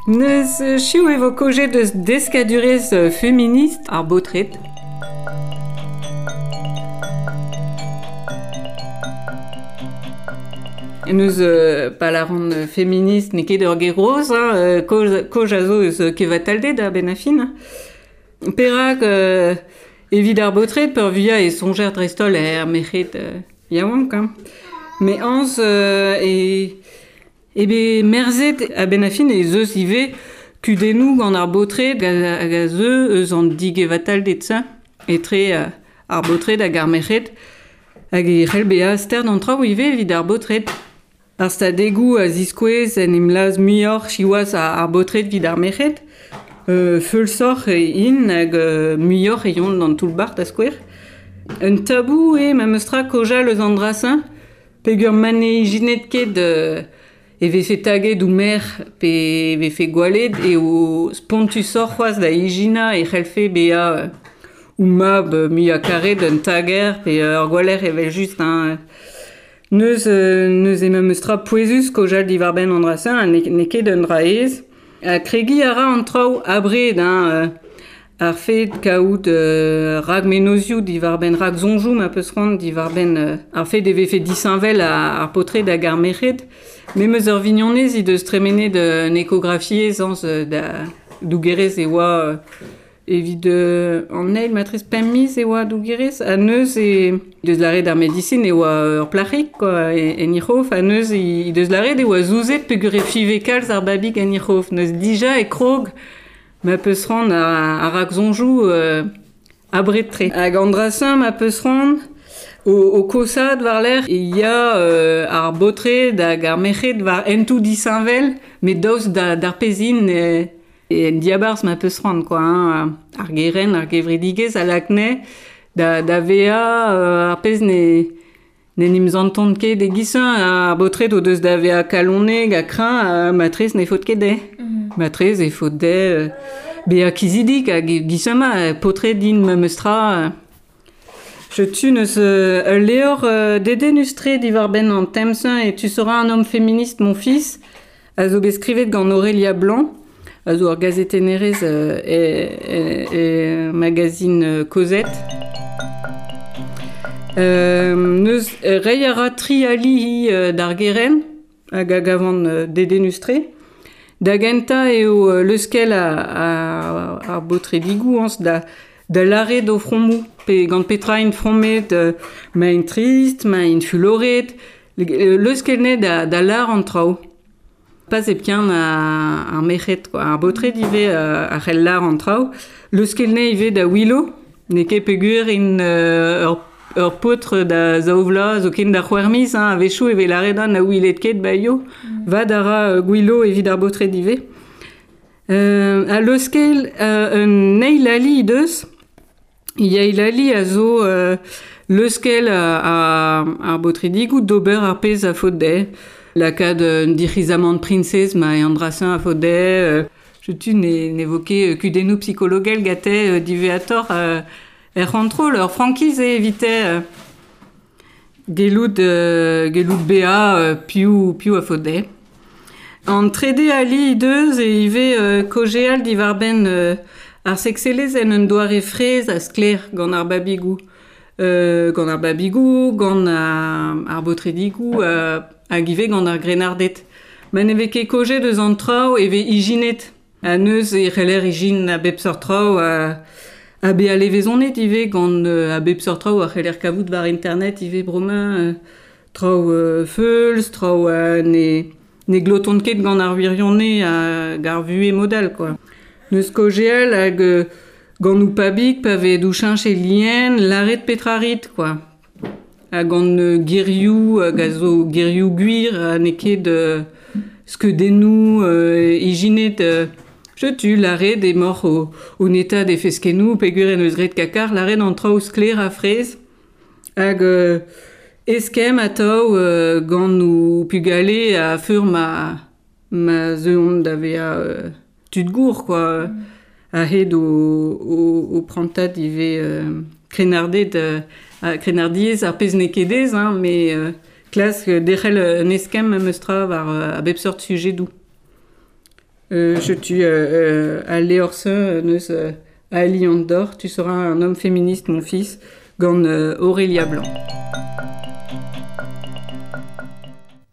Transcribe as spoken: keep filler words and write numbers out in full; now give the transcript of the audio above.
Neus chiv e vo kojet eus deskadurez feminist ar baotred. Neus euh, palaran feminist n'eo ket ur ger-roz, hein, koj, koj a zo eus kevatalded a ben a fin. Perak euh, evit ar baotred peurvuiañ e soñjer dreist-holl er merc'hed euh, yaouank. Hein. Me añs euh, e... Ebe merzet a ben a fin e zeus ivez kudennoù gant ar baotred hag a zeu eus an digevatalded se, etre euh, ar baotred hag ar merc'hed hag e c'hell bezañ stern an traoù ivez evit ar baotred. Ar stadegoù a ziskouez en em laz muioc'h siwazh ar baotred evit ar merc'hed. Euh, feulsoc'h e int hag euh, muioc'h e yont d'an toull-bac'h da skouer. Un tabou eo memes tra kojal eus an dra-se, peogwir ma ne ijinet ket euh, e vefe taget ou mer pe e vefe gwallet eo spontusoc'h c'hoazh da ijinañ e c'hellfe bezañ ou mab muiañ karet un tager pe ur gwaller evel just hein. Neus, neus e memes tra pouezus kojal diwar-benn an dra-se, ha n'eo ket un dra aes. Ha kregiñ a ra an traoù abred, hein, ar fed kaout euh, rag menozioù diwar-benn rag soñjoù ma peus c'hoant diwar-benn euh, ar fed e vefe disheñvel ar paotred hag ar merc'hed. Memes ur vignonez he deus tremenet un ekografiezh añs da dougerez e oa evit euh, an eil matrez pemp miz e oa dougerez ha neus e deus lâret ar medisin e oa ur plac'hig quoi en he c'hof ha neus he deus lâret e oa zouzet peogwir e fiñve kalz ar babig en he c'hof neus dija e krog ma peus c'hoant ar rag-soñjoù euh, abred-tre. Hag an dra-se ma peus c'hoant o, o kosaat war-lerc'h e ya euh, ar baotred hag ar merc'hed war hentoù disheñvel met daoust da, d'ar pezhin e, e en diabarzh ma peus c'hoant quoi, hein, ar geren, ar gevredigezh a lak-ne da, da vezañ euh, ar pezh ne n'en em zantont ket e-giz ar baotred o deus da vezañ kalonek ha kreñv ha matrez ne faot ket dezhe. Mm-hmm. Matrez e faot dezhe bezañ kizidik hag e-giz ma paotred din memes tra. Setu neus ul levr euh, dedennus-tre diwar-benn an tem-se et tu seras un homme féministe mon fils a zo bet skrivet gant Aurélia Blanc a zo ur gazetennerez euh, e, e, e magazine Cosette. Euh, neus reiñ a ra tri ali hi euh, d'ar geren hag a gavan euh, dedennus-tre. Da gentañ eo euh, leuskel a, a, ar baotredigoù añs da da lâret o fromoù pe gant petra int fromet euh, ma int trist, ma int fuloret leuskel ne da, da lâr an traoù. Pas hepken ar merc'hed quoi. Ar baotred ivez a c'hell lâr an traoù. Leuskel ne ivez da Willow, n'eo ket peogwir int euh, ur ur paotr da zaou vloaz zoken da c'hwec'h miz, hein, a-wechoù e vez lâret na ouilet ket ba io. Mm. Vad a ra uh, Gwillo evit ar baotred ivez. Euh, a leuskel euh, un eil ali he deus. Eil ali a zo euh, leuskel a, a, ar baotredigoù d'ober ar pezh a faot dezhe. Lakaat un dic'hizamant priñsez ma e an dra-se a faot dezhe. Euh, setu ne, n'evoke kudennoù psikologel gante euh, diwezhatoc'h euh, er c'hontrol, ur frankiz eo evite euh, gellout, euh, gellout bezañ euh, piv, piv a faot dezhe. An trede ali he deus e ivez euh, kaozeal diwar-benn euh, ar sekselezh en un doare fraezh ha sklaer gant ar babigoù. Euh, gant ar babigoù, gant ar, ar baotredigoù euh, hag ivez gant ar grennarded. Ma ne vez ket kaojet eus an traoù e vez ijinet. Ha neus e c'heller ijin a bep seurt traoù a, a bezañ levezonet ivez gant euh, a bep seurt traoù a c'heller kavout war internet ivez bremañ euh, traoù euh, feuls, traoù euh, ne, ne glotont ket gant ar wirionez hag ar vuhez modal quoi. Neus kaozeal hag euh, gant ou pabig pa vez doucheñch e lien lâret petra rit quoi. Ha gant euh, gerioù hag a zo gerioù gwir ha n'eo ket euh, skeudennoù euh, ijinet euh, setu lâret emaoc'h o, o netaat e feskennoù peogwir en eus graet kakar lâret an traoù sklaer ha fraezh hag euh, eskemm atav euh, gant o pugale a feur ma, ma zeuont da vezañ euh, tud gour quoi. Mm. A-hed o, o, o prantad ivez euh, krennarded euh, krennardiezh ar pezh n'eo ket aes, hein, met euh, Klask derc'hel un eskemm memestra war a bep seurt sujedoù. Euh, setu euh, al levr-se neus euh, Ali an Dor, tu seras un homme féministe mon fils, gant euh, Aurélia Blanc.